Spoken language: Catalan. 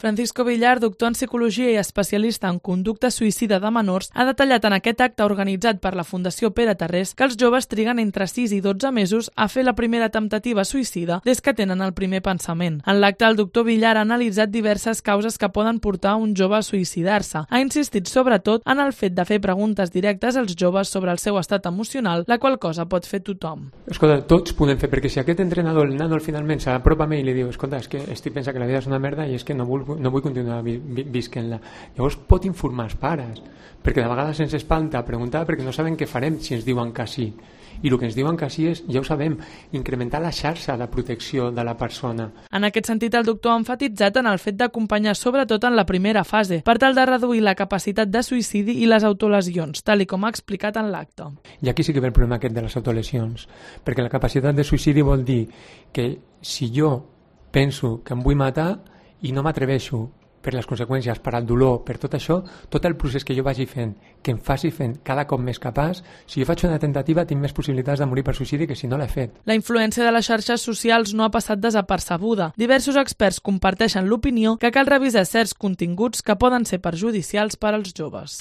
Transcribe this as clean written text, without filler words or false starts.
Francisco Villar, doctor en psicologia i especialista en conducta suïcida de menors, ha detallat en aquest acte organitzat per la Fundació Pere Tarrés que els joves triguen entre 6 i 12 mesos a fer la primera temptativa suïcida des que tenen el primer pensament. En l'acte, el doctor Villar ha analitzat diverses causes que poden portar un jove a suïcidar-se. Ha insistit sobretot en el fet de fer preguntes directes als joves sobre el seu estat emocional, la qual cosa pot fer tothom. Escolta, tots podem fer, perquè si aquest entrenador, el nano finalment s'apropa a mi i li diu escolta, és que estic pensant que la vida és una merda i és que no vull continuar visquent-la. Llavors pot informar els pares, perquè de vegades ens espanta preguntar perquè no sabem què farem si ens diuen que sí. I el que ens diuen que sí és, ja ho sabem, incrementar la xarxa de protecció de la persona. En aquest sentit, el doctor ha enfatitzat en el fet d'acompanyar sobretot en la primera fase, per tal de reduir la capacitat de suïcidi i les autolesions, tal com ha explicat en l'acte. I aquí sí que ve el problema aquest de les autolesions, perquè la capacitat de suïcidi vol dir que si jo penso que em vull matar i no m'atreveixo per les conseqüències, per al dolor, per tot això, tot el procés que jo vagi fent, que em faci fent cada cop més capaç, si jo faig una tentativa tinc més possibilitats de morir per suïcidi que si no l'he fet. La influència de les xarxes socials no ha passat desapercebuda. Diversos experts comparteixen l'opinió que cal revisar certs continguts que poden ser perjudicials per als joves.